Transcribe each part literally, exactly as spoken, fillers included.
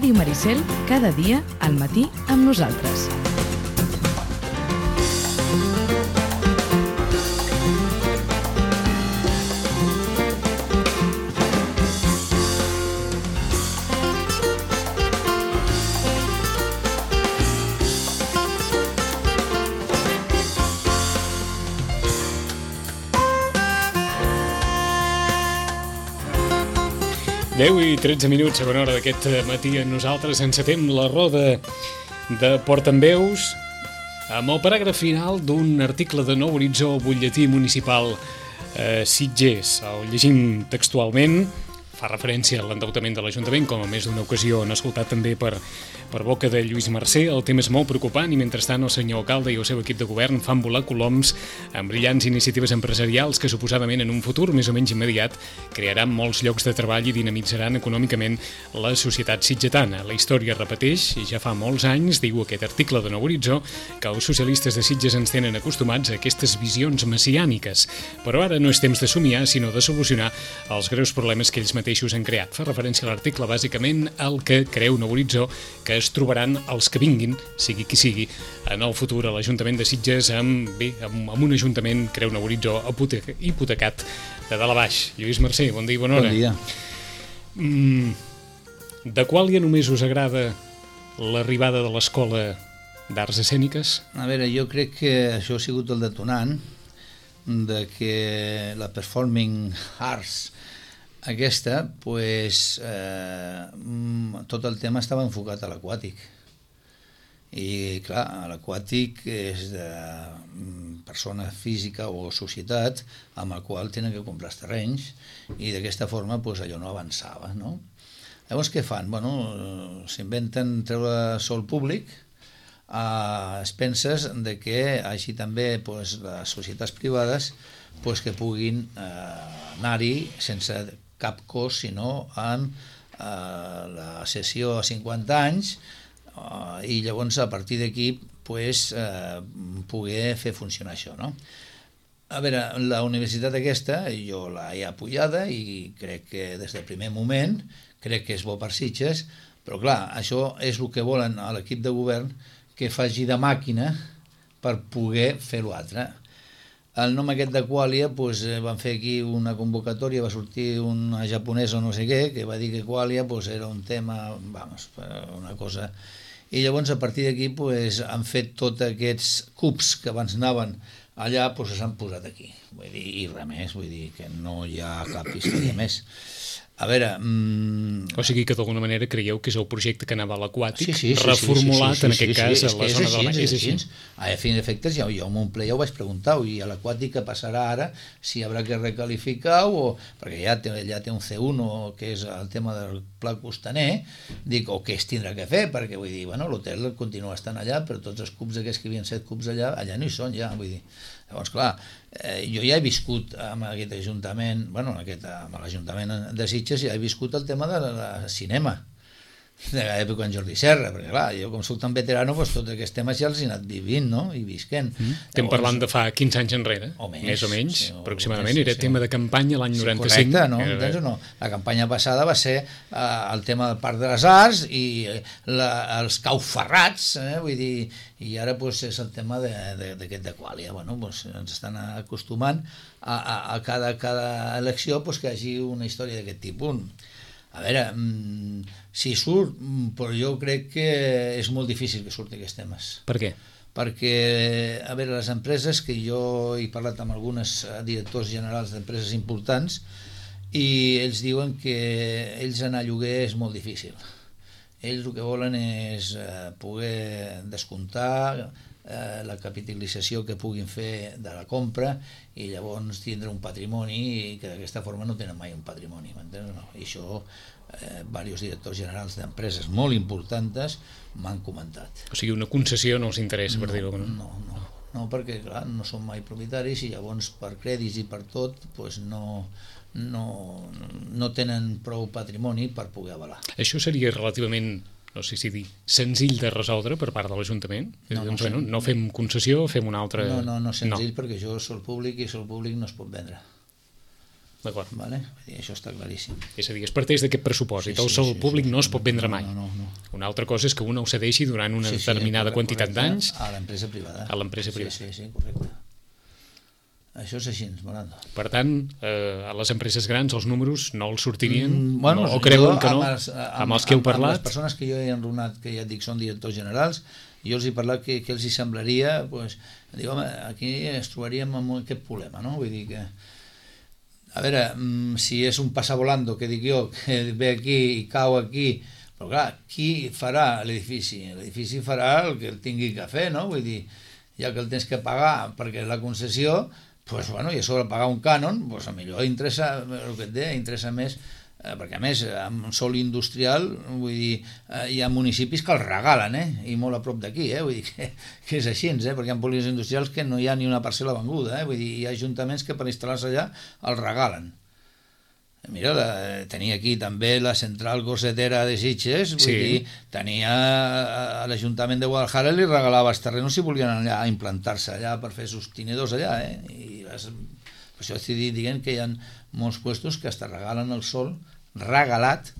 Ràdio Maricel, cada dia al matí amb nosaltres. deu i tretze minuts, segona hora d'aquest matí amb nosaltres. Encetem la roda de portaveus amb el paràgraf final d'un article de Nou Horitzó, butlletí municipal eh, Sitges. El llegim textualment, fa referència a l'endeutament de l'Ajuntament, com a més d'una ocasió han escoltat també per, per boca de Lluís Mercè. El tema és molt preocupant i mentrestant el senyor alcalde i el seu equip de govern fan volar coloms amb brillants iniciatives empresarials que suposadament en un futur més o menys immediat crearan molts llocs de treball i dinamitzaran econòmicament la societat sitgetana. La història repeteix i ja fa molts anys, diu aquest article de Nou Horitzó, que els socialistes de Sitges ens tenen acostumats a aquestes visions messiàniques. Però ara no és temps de somiar, sinó de solucionar els greus problemes que ells mateixos han creat. Fa referència a l'article bàsicament al que creu Nou Horitzó que es trobaran els que vinguin, sigui qui sigui, en el futur a l'Ajuntament de Sitges amb, bé, amb, amb un ajuntament, creu Nou Horitzó, hipotecat de dalt a baix. Lluís Mercè, bon dia i bona hora. Bon dia. Mm, de Quàlia només us agrada l'arribada de l'Escola d'Arts Escèniques? A veure, jo crec que això ha sigut el detonant de que la Performing Arts aquesta, pues, eh, tot el tema estava enfocat a l'aquàtic. I, clar, l'aquàtic és de persona física o societat amb el qual tenen que comprar els terrenys i d'aquesta forma pues, allò no avançava, no? Llavors, què fan? Bueno, s'inventen treure sol públic a expenses de que així també pues, les societats privades pues, que puguin eh, anar-hi sense cap cost, sinó en eh, la sessió a cinquanta anys eh, i llavors a partir d'aquí pues, eh, poder fer funcionar això, no? A veure, la universitat aquesta jo l'he apoyada i crec que des del primer moment crec que és bo per Sitges, però clar, això és el que volen a l'equip de govern, que faci de màquina per poder fer l'altre. El nom aquest de Quàlia, pues, van fer aquí una convocatòria, va sortir una japonesa o no sé què, que va dir que Quàlia pues, era un tema, vamos, una cosa... I llavors a partir d'aquí pues, han fet tots aquests cubs que abans anaven allà, pues, s'han posat aquí. Vull dir, i res més, vull dir que no hi ha cap història més. A veure... Mmm... O sigui que d'alguna manera creieu que és el projecte que anava a l'aquàtic, sí, sí, sí, reformulat sí, sí, sí, en aquest sí, cas sí, a la és zona així, de la... És així, és així. A fin d'efectes, jo, jo en un ple ja ho vaig preguntar, i a l'aquàtic què passarà ara, si haurà que recalificar, o perquè ja té, ja té un C u, que és el tema del pla costaner, dic, o què es tindrà que fer, perquè vull dir, bueno, l'hotel continua estant allà, però tots els cubs aquests que havien set cubs allà, allà no hi són ja, vull dir. Llavors, clar, eh, jo ja he viscut amb aquest ajuntament, bueno, aquest, amb l'Ajuntament de Sitges, ja he viscut el tema del de cinema, de l'època en Jordi Serra, perquè clar, jo com soc tan veterano, doncs tots aquests temes ja els he anat vivint, no?, i visquent. Mm. Estem Llavors, parlant de fa quinze anys enrere, o més, més o menys, sí, o aproximadament, més, era sí. tema de campanya l'any sí, noranta-cinc. Correcte, no? Entens o no? La campanya passada va ser eh, el tema del Parc de les Arts i la, els cauferrats, eh? Vull dir, i ara pues, és el tema d'aquest de Quàlia. Bueno, pues, ens estan acostumant a, a, a cada, cada elecció pues, que hi hagi una història d'aquest tipus. A veure, mmm, si surt, però jo crec que és molt difícil que surti aquests temes. Per què? Perquè, a veure, les empreses, que jo he parlat amb alguns directors generals d'empreses importants, i ells diuen que ells anar a lloguer és molt difícil. Ells el que volen és eh, poder descomptar eh, la capitalització que puguin fer de la compra i llavors tindre un patrimoni i que d'aquesta forma no tenen mai un patrimoni, m'entens? No? I això eh, diversos directors generals d'empreses molt importants m'han comentat. O sigui, una concessió no els interessa, no, per dir-ho. No, no, no, no, perquè clar, no són mai propietaris i llavors per crèdits i per tot pues, no... No, no tenen prou patrimoni per poder avalar. Això seria relativament, no sé si dir, senzill de resoldre per part de l'Ajuntament? No, doncs, no, bueno, no fem concessió, fem una altra... No, no, no senzill, no. Perquè això és sol públic i sol públic no es pot vendre. D'acord. Vale? Això està claríssim. És a dir, es parteix d'aquest pressupost, Sí, i el sí, sòl sí, públic sí, no es pot vendre no, mai. no, no, no. Una altra cosa és que una ho cedeixi durant una Sí, sí, determinada correcte, quantitat d'anys a l'empresa privada. a l'empresa privada. Sí, sí, sí, correcte. Això és així, Morando. Per tant, eh, a les empreses grans els números no els sortirien, Mm, bueno, no, o creuen jo que no, amb els, amb, amb els que heu amb, amb parlat. les persones que jo he enrunat, que ja et dic són directors generals, jo els he parlat que, que els hi semblaria, pues, dic, home, aquí ens trobaríem amb aquest problema, no? Vull dir que, a veure, si és un passavolando, que dic jo, que ve aquí i cau aquí, però clar, qui farà l'edifici? L'edifici farà el que el tingui que fer, no? Vull dir, ja que el tens que pagar perquè és la concessió, pues, bueno, i a sobre pagar un cànon, pues, a millor interessa, el que et deia, interessa més, eh, perquè a més, amb sòl industrial, vull dir, eh, hi ha municipis que els regalen, eh? I molt a prop d'aquí, eh? Vull dir que, que és així, eh? Perquè hi ha polígons industrials que no hi ha ni una parcel·la venguda, eh? Vull dir, hi ha ajuntaments que per instal·lar-se allà els regalen. Mira, la, tenia aquí també la central gossetera de Sitges, vull Sí. dir, tenia a l'Ajuntament de Guadalajara li regalava els terrenos si volien allà a implantar-se allà per fer sostinedors allà, eh? I les, per això estic dient que hi ha molts puestos que hasta regalen el sol regalat,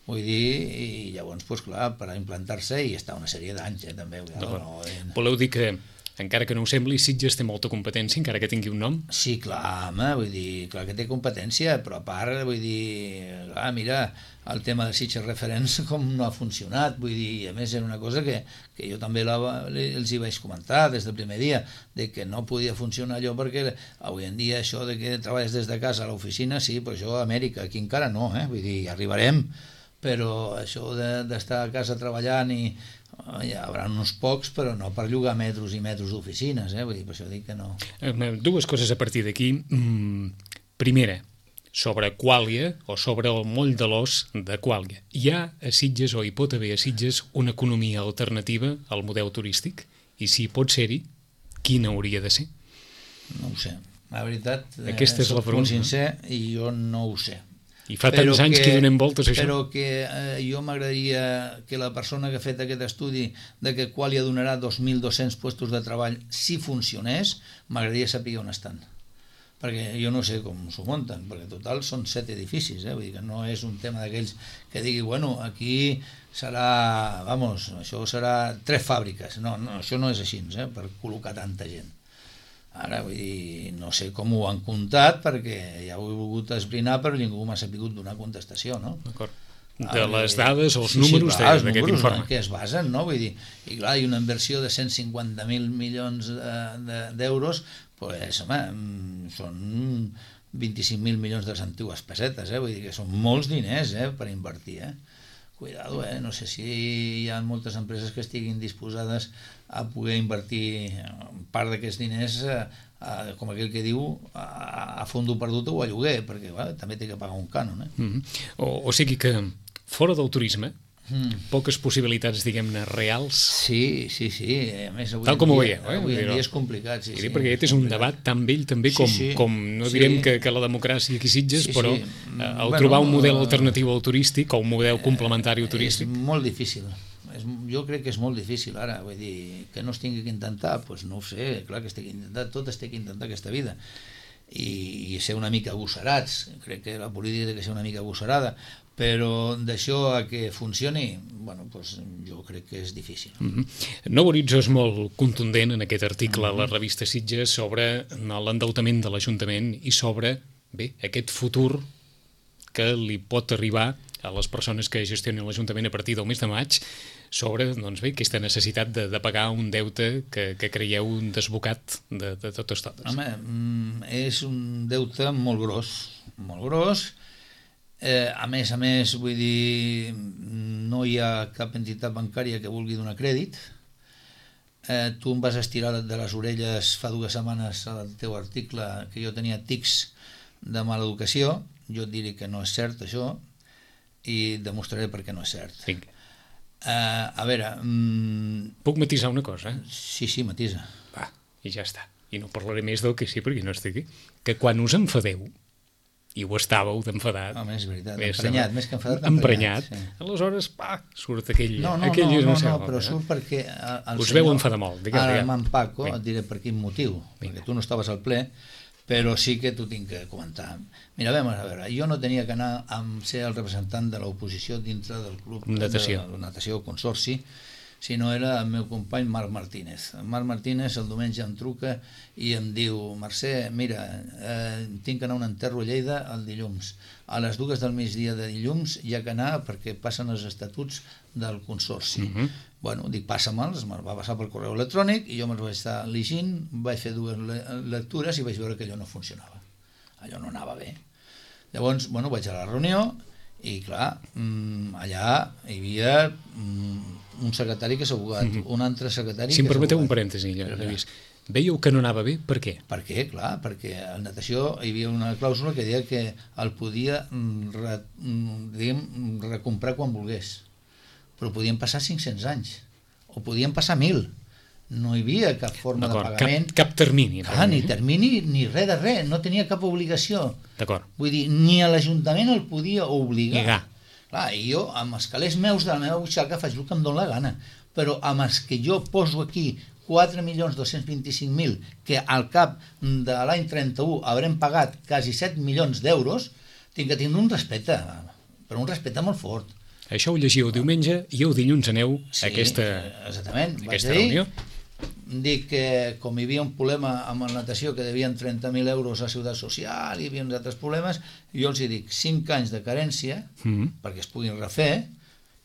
vull dir, i llavors, pues, clar, per a implantar-se i està una sèrie d'anys, eh, també. No, no, eh. Voleu dir que, encara que no ho sembli, Sitges té molta competència, encara que tingui un nom? Sí, clar, home, vull dir, clar que té competència, però a part, vull dir, clar, mira, el tema de Sitges Referents com no ha funcionat, vull dir, i a més era una cosa que, que jo també la, els hi vaig comentar des del primer dia, de que no podia funcionar allò perquè avui en dia això de que treballes des de casa a l'oficina, sí, però això a Amèrica, aquí encara no, eh? Vull dir, arribarem, però això d'estar a casa treballant i hi haurà uns pocs, però no per llogar metres i metres d'oficines, eh? Vull dir, per això dic que no. Dues coses a partir d'aquí. Primera, sobre Quàlia o sobre el moll de l'os de Quàlia. Hi ha a Sitges o hi pot haver a Sitges una economia alternativa al model turístic? I si pot ser-hi, quina hauria de ser? No ho sé. La veritat, aquesta és la pregunta. Molt sincer, i jo no ho sé. I fa tants anys que hi donem voltes a això. Però que eh, jo m'agradaria que la persona que ha fet aquest estudi de que Quàlia donarà dos mil dos-cents puestos de treball si funcionés, m'agradaria saber on estan. Perquè jo no sé com s'ho munten, perquè total són set edificis, eh? Vull dir que no és un tema d'aquells que digui, bueno, aquí serà, vamos, això serà tres fàbriques. No, no, això no és així, eh? Per col·locar tanta gent. Ara, vull dir, no sé com ho han comptat, perquè ja ho he volgut esbrinar, però ningú m'ha sabut donar contestació, no? D'acord. De les dades, els sí, números sí, clar, d'aquest informe. En què es basen, no? Vull dir, i clar, hi ha una inversió de cent cinquanta mil milions d'euros, pues, home, són vint-i-cinc mil milions de les antigues pessetes, eh? Vull dir que són molts diners, eh, per invertir, eh? Cuidado, eh? No sé si hi ha moltes empreses que estiguin disposades a poder invertir part d'aquests diners, a, a, com aquell que diu, a, a fondo perdut o a lloguer, perquè bueno, també té que pagar un cànon. Eh? Mm -hmm. o, o sigui que fora del turisme, mm. poques possibilitats, diguem-ne, reals. Sí, sí, sí. A més, avui tal com dia, ho veieu, eh? Avui en dia és complicat, sí, sí. Perquè aquest és un debat tan vell també com, sí, sí. com no sí. direm que, que la democràcia aquí Sitges, sí, però sí. eh, el bueno, trobar un model alternatiu al turístic o un model complementari al turístic. És molt difícil. És, jo crec que és molt difícil ara, vull dir, que no es tingui que intentar, doncs no ho sé, clar que es té que intentar, tot es té que intentar aquesta vida. I, i ser una mica agosarats, crec que la política té que ser una mica agosarada, però d'això a que funcioni, bueno, doncs jo crec que és difícil. Mm-hmm. Nou Horitzó és molt contundent en aquest article mm-hmm. a la revista Sitges sobre l'endeutament de l'Ajuntament i sobre, bé, aquest futur que li pot arribar a les persones que gestionen l'Ajuntament a partir del mes de maig sobre, doncs bé, aquesta necessitat de, de pagar un deute que, que creieu un desbocat de, de totes totes. Home, és un deute molt gros, molt gros. Eh, a més a més, vull dir, no hi ha cap entitat bancària que vulgui donar crèdit. Eh, tu em vas estirar de les orelles fa dues setmanes al teu article que jo tenia tics de mala educació. Jo et diré que no és cert això i demostraré per què no és cert. Vinga. Uh, a veure... Um... Puc matisar una cosa? Eh? Sí, sí, matisa. Va, i ja està. I no parlaré més del que sí, perquè no estic aquí. Que quan us enfadeu, i ho estàveu d'enfadat... Home, és veritat, més emprenyat, més que enfadat, emprenyat. Sí. Aleshores, pa, surt aquell... No, no, aquell no, no, no, no, però surt perquè... El us senyor, veu enfadar molt. Digue'm, ara digue'm. me'n Paco, Vinga. et diré per quin motiu, Vinga. perquè tu no estaves al ple, però sí que t'ho tinc que comentar. Mira, a veure, jo no tenia que anar a ser el representant de l'oposició dintre del club natació. de natació consorci, sinó era el meu company Marc Martínez. El Marc Martínez el diumenge em truca i em diu: Mercè, mira, eh, tinc que anar a un enterro a Lleida el dilluns. A les dues del migdia de dilluns hi ha que anar perquè passen els estatuts del consorci. Uh -huh. Bueno, dic, passa-me'ls, me'ls va passar pel correu electrònic i jo me'ls vaig estar llegint, vaig fer dues lectures i vaig veure que allò no funcionava. Allò no anava bé. Llavors, bueno, vaig a la reunió i, clar, allà hi havia un secretari que s'ha abogat, uh -huh. un altre secretari... Si em permeteu un parèntesi, Lluís. Veieu que no anava bé? Per què? Per què? Clar, perquè a la natació hi havia una clàusula que deia que el podia re, diguem, recomprar quan volgués, però podien passar cinc-cents anys o podien passar mil. No hi havia cap forma de pagament, cap, cap termini, ah, ni termini ni res de res, no tenia cap obligació. D'acord. Vull dir, ni a l'Ajuntament el podia obligar. Llegar. Clar, i jo amb els calés meus de la meva butxaca faig el que em dóna la gana, però amb els que jo poso aquí quatre milions dos-cents vint-i-cinc mil, que al cap de l'any trenta-u haurem pagat quasi set milions d'euros, tinc que tindre un respecte, però un respecte molt fort. Això ho llegiu diumenge i el dilluns aneu sí, a aquesta, exactament. aquesta Vaig reunió. Dir, dic que com hi havia un problema amb la natació que devien trenta mil euros a Ciutat Social, hi havia uns altres problemes, jo els hi dic cinc anys de carència mm-hmm. perquè es puguin refer,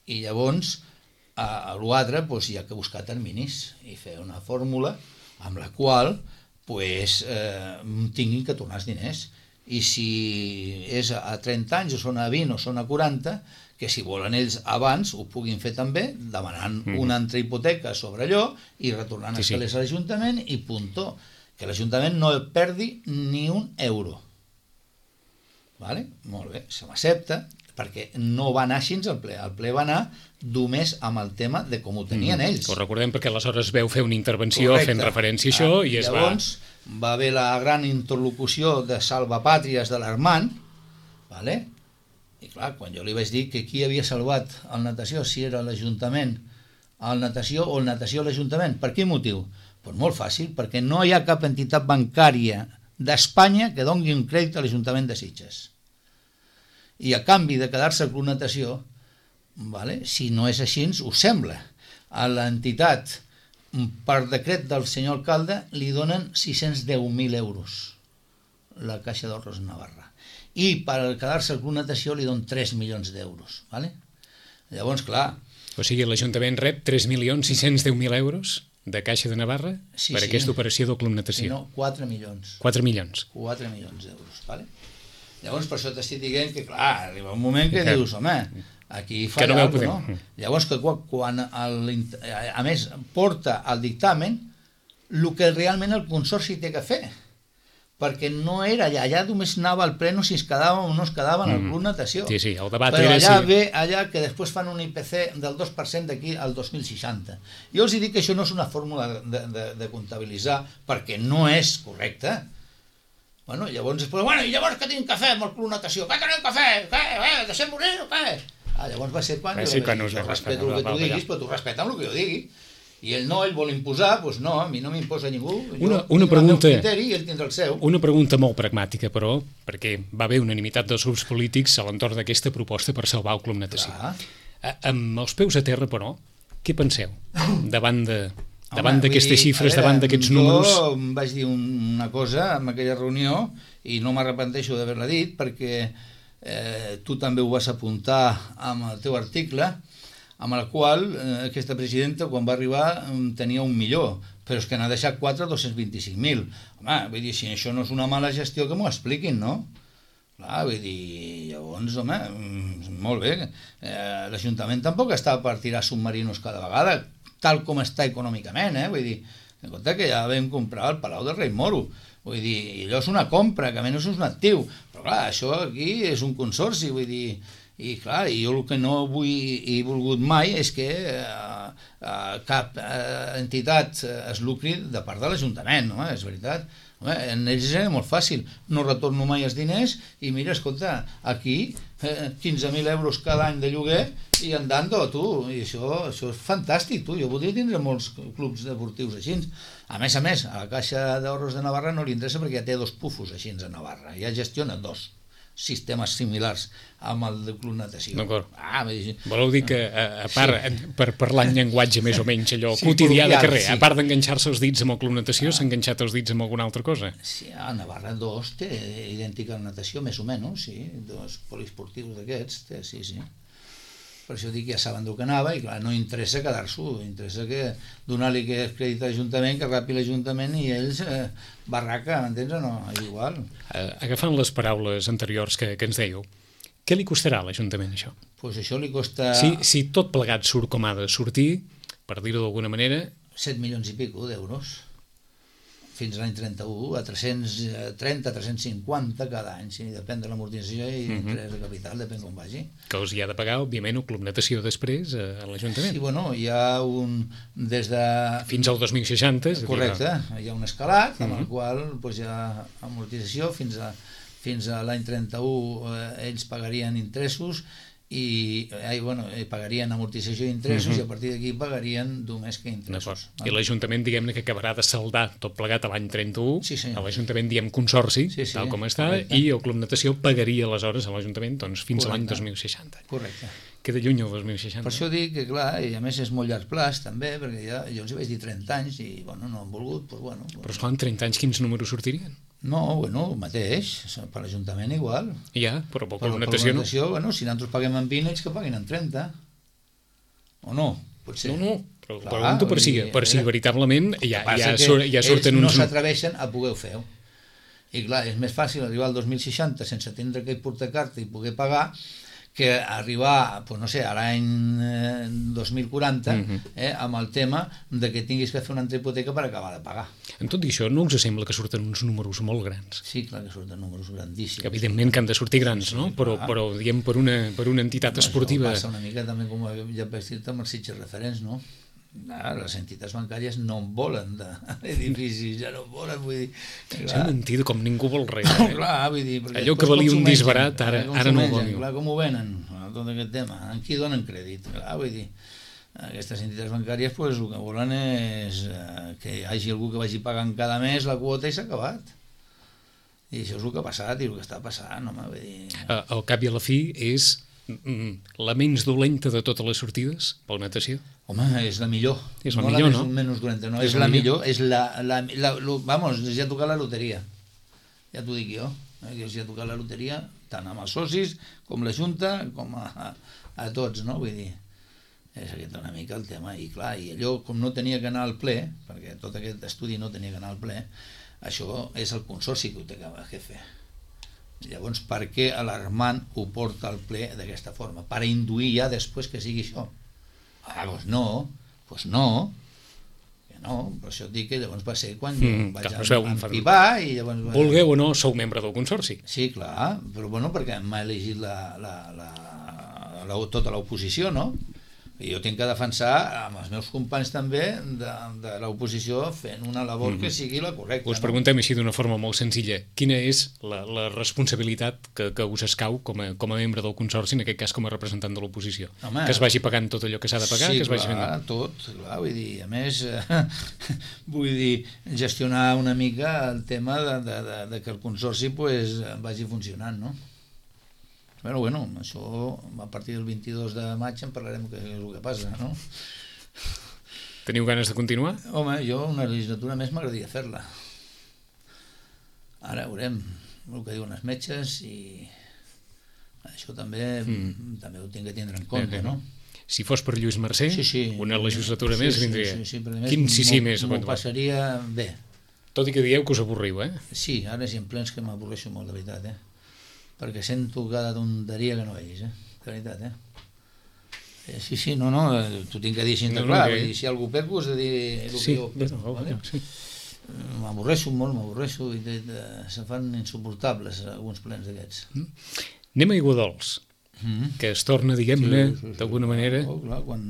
i llavors a l'altre doncs, hi ha que buscar terminis i fer una fórmula amb la qual pues, eh, tinguin que tornar els diners. I si és a trenta anys o són a vint o són a quaranta, que si volen ells abans ho puguin fer també, demanant mm. una altra hipoteca sobre allò i retornant sí, els calés sí. a l'Ajuntament i puntó. Que l'Ajuntament no perdi ni un euro. Vale? Molt bé, se m'accepta, perquè no va anar així el ple. El ple va anar només amb el tema de com ho tenien ells. Mm, ho recordem perquè aleshores veu fer una intervenció Correcte. fent referència a això ah, i es llavors, va... va haver la gran interlocució de salvapàtries de l'Armand, vale? I clar, quan jo li vaig dir que qui havia salvat el natació, si era l'Ajuntament, el natació o el natació a l'Ajuntament, per quin motiu? Pues molt fàcil, perquè no hi ha cap entitat bancària d'Espanya que doni un crèdit a l'Ajuntament de Sitges. I a canvi de quedar-se al Club Natació, vale, si no és així, us sembla, a l'entitat, per decret del senyor alcalde, li donen sis-cents deu mil euros la Caixa d'Ahorros Navarra. I per quedar-se al Club Natació li donen tres milions d'euros. Vale? Llavors, clar... O sigui, l'Ajuntament rep tres milions sis-cents deu mil euros de Caixa de Navarra sí, per sí. aquesta operació del Club Natació. Sí, no, quatre milions. quatre milions. quatre milions d'euros, vale? Llavors, per això t'estic dient que, clar, arriba un moment que, que dius, home, aquí fa no alguna cosa, no? Llavors, que quan, el, a més, porta al dictamen el que realment el Consorci té que fer, perquè no era allà, allà només anava al pleno si es quedava o no es quedava en el Club Natació. Sí, sí, el debat però era allà si... ve allà que després fan un I P C del dos per cent d'aquí al dos mil seixanta. Jo els dic que això no és una fórmula de, de, de comptabilitzar perquè no és correcte. Bueno, llavors es posa, bueno, i llavors què tinc que fer amb el Club Natació? Què tenim que fer? Què? Eh, deixem morir o què? Ah, llavors va ser quan va jo, ser quan jo, jo respeto el que tu diguis, però tu respeta el que jo digui. I ell no, ell vol imposar, doncs no, a mi no m'imposa ningú. Una, una pregunta, el meu criteri i ell tindrà el seu. Una pregunta molt pragmàtica, però, perquè va haver unanimitat dels grups polítics a l'entorn d'aquesta proposta per salvar el Club Natació. Clar. Amb els peus a terra, però, què penseu davant de... davant d'aquestes xifres, veure, davant d'aquests números... Jo vaig dir una cosa en aquella reunió i no m'arrepenteixo d'haver-la dit perquè eh, tu també ho vas apuntar amb el teu article, amb el qual eh, aquesta presidenta quan va arribar tenia un milió, però és que n'ha deixat quatre, dos-cents vint-i-cinc mil. Home, vull dir, si això no és una mala gestió, que m'ho expliquin, no? Clar, vull dir, llavors, home, molt bé, eh, l'Ajuntament tampoc està per tirar submarinos cada vegada, tal com està econòmicament, eh? Vull dir, en compte que ja vam comprar el Palau del Rei Moro, vull dir, allò és una compra, que a menys és un actiu, però clar, això aquí és un consorci, vull dir, I clar, jo el que no vull i he volgut mai és que eh, eh, cap eh, entitat es lucri de part de l'Ajuntament, no? És veritat. Home, en ells era molt fàcil, no retorno mai els diners i mira, escolta, aquí eh, quinze mil euros cada any de lloguer i andando, tu, i això, això és fantàstic, tu, jo voldria tindre molts clubs deportius així. A més a més, a la Caixa d'Ahorros de Navarra no li interessa perquè ja té dos pufos així a Navarra, ja gestiona dos sistemes similars amb el de Club Natació. D'acord. Ah, voleu dir que, a, a part, sí. per parlar en llenguatge més o menys allò sí, quotidià de carrer, sí. A part d'enganxar-se els dits amb el Club Natació, ah. s'ha enganxat els dits amb alguna altra cosa? Sí, a Navarra dos té idèntica natació, més o menys, sí, dos poliesportius d'aquests, té, sí, sí. Per això dic que ja saben d'on que anava i clar, no interessa quedar-s'ho, interessa que donar-li que crèdit a l'Ajuntament, que rapi l'Ajuntament i ells eh, barraca, m'entens o no? Igual. Uh, agafant les paraules anteriors que, que ens dèieu, què li costarà a l'Ajuntament això? Doncs pues això li costa... Si, si tot plegat surt com ha de sortir, per dir-ho d'alguna manera... set milions i pico d'euros. Fins a l'any trenta-u, a tres-cents trenta, tres-cents cinquanta cada any, sí, depèn de l'amortització i l'interès de capital, depèn com vagi. Que els hi ha de pagar, òbviament, el Club Natació després a l'Ajuntament. Sí, bueno, hi ha un... des de... Fins al dos mil seixanta. Correcte, hi ha un escalat, amb el qual doncs, hi ha amortització, fins a, fins a l'any trenta-u eh, ells pagarien interessos i eh, bueno, eh, pagarien amortització i interessos, uh -huh. i a partir d'aquí pagarien només que interessos. I l'Ajuntament, diguem-ne, que acabarà de saldar tot plegat a l'any trenta-u, sí, a l'Ajuntament diem consorci, sí, sí, tal com està, correcte. I el Club Natació pagaria aleshores a l'Ajuntament doncs, fins correcte. A l'any dos mil seixanta. Correcte. Queda lluny el dos mil seixanta. Per això dic que, clar, i a més és molt llarg plaç, també, perquè ja, jo els hi vaig dir trenta anys i, bueno, no han volgut, doncs, bueno... Però, esclar, en trenta anys quins números sortirien? No, bueno, el mateix, per l'Ajuntament igual. Ja, però per la natació no. Natació, bueno, si nosaltres paguem en vint, ells que paguin en trenta. O no? Potser. No, no, però clar, pregunto per si, per si veritablement ja, ja, sur, ja surten uns... uns... no s'atreveixen a poder fer-ho. I clar, és més fàcil arribar al dos mil seixanta sense tindre que portar carta i poder pagar que arribar, pues no sé, a l'any eh, dos mil quaranta uh-huh. eh, amb el tema de que tinguis que fer una altra hipoteca per acabar de pagar. En tot i això, no us sembla que surten uns números molt grans? Sí, clar que surten números grandíssims. Que evidentment que han de sortir grans, sí, no? Però, però diguem, per una, per una entitat no, esportiva... Això passa una mica també, com ja vaig dir-te, amb els sitges referents, no? Ah, les entitats bancàries no en volen d'edificis, ja no en volen, vull dir... S'ha mentit com ningú vol res. Eh? Clar, vull dir... Allò que valia un disbarat, ara, ara no ho vol. Clar, com ho venen, tot aquest tema, en qui donen crèdit? Clar, vull dir, aquestes entitats bancàries pues, el que volen és eh, que hi hagi algú que vagi pagant cada mes la quota i s'ha acabat. I això és el que ha passat i el que està passant, home, vull dir... Al cap i a la fi és la menys dolenta de totes les sortides per la natació? Home, és la millor. És la no millor, la no? Menys dolenta, no, és, és la millor. És la, la, la, la, vamos, ja ha tocat la loteria. Ja t'ho dic jo. Eh, que ja ha tocat la loteria, tant amb els socis, com la Junta, com a, a, a tots, no? Vull dir, és aquest una mica el tema. I clar, i allò, com no tenia que anar al ple, perquè tot aquest estudi no tenia que anar al ple, això és el consorci que ho té que fer. Llavors, per què l'Armand ho porta al ple d'aquesta forma? Per induir ja després que sigui això. Ah, doncs no, doncs no, que no, per això et dic que llavors va ser quan mm, vaig empipar i llavors... Vulgueu o no, sou membre del consorci. Sí, clar, però bueno, perquè m'ha elegit la, la, la, la, tota l'oposició, no? I jo tinc que defensar amb els meus companys també de, de l'oposició fent una labor mm-hmm. que sigui la correcta. Us no? preguntem així d'una forma molt senzilla. Quina és la, la responsabilitat que, que us escau com a, com a membre del consorci, en aquest cas com a representant de l'oposició? Home, que es vagi pagant tot allò que s'ha de pagar? Sí, que es vagi clar, fent... tot. Clar, vull dir, a més, eh, vull dir, gestionar una mica el tema de, de, de, de que el consorci pues, vagi funcionant, no? Bueno, bueno, això a partir del vint-i-dos de maig en parlarem que és el que passa, no? Teniu ganes de continuar? Home, jo una legislatura més m'agradaria fer-la. Ara veurem el que diuen els metges i això també mm. també ho tinc que tindre en compte, bé, bé. No? Si fos per Lluís Mercè, sí, sí. una legislatura sí, més sí, vindria. Sí, sí, sí, Quin sí, sí més? M'ho passaria bé. Tot i que dieu que us avorriu, eh? Sí, ara és en plens que m'avorreixo molt, de veritat, eh? Perquè sento cada tonteria que no veig, eh? De veritat, eh? eh sí, sí, no, no, t'ho tinc que dir així de no, clar, no, que... si algú perco has de dir el sí, que jo perco, no, vale? Sí. M'avorreixo molt, m'avorreixo i de, de, se fan insuportables alguns plens d'aquests. Mm. Anem a Aiguadols. mm. que es torna, diguem-ne, sí, sí, sí, d'alguna sí, manera... Oh, clar, quan,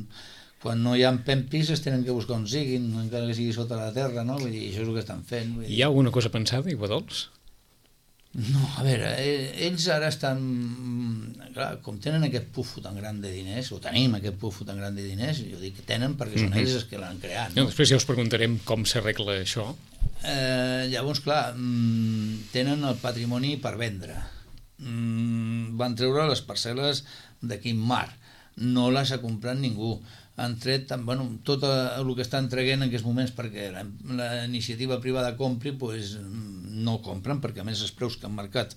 quan no hi ha pempis es tenen que buscar on siguin, encara que sigui sota la terra, no? Vull dir, això és el que estan fent. Vull dir. Hi ha alguna cosa pensada, Aiguadols? No, a veure, ells ara estan... Clar, com tenen aquest pufo tan gran de diners, o tenim aquest pufo tan gran de diners, jo dic que tenen perquè són mm-hmm. ells els que l'han creat. No? No, després ja us preguntarem com s'arregla això. Eh, llavors, clar, tenen el patrimoni per vendre. Van treure les parcel·les de Quim Mar, no les ha comprat ningú. Han tret, bueno, tot el que estan traient en aquests moments perquè la, la iniciativa privada compri, pues, no compren, perquè a més els preus que han marcat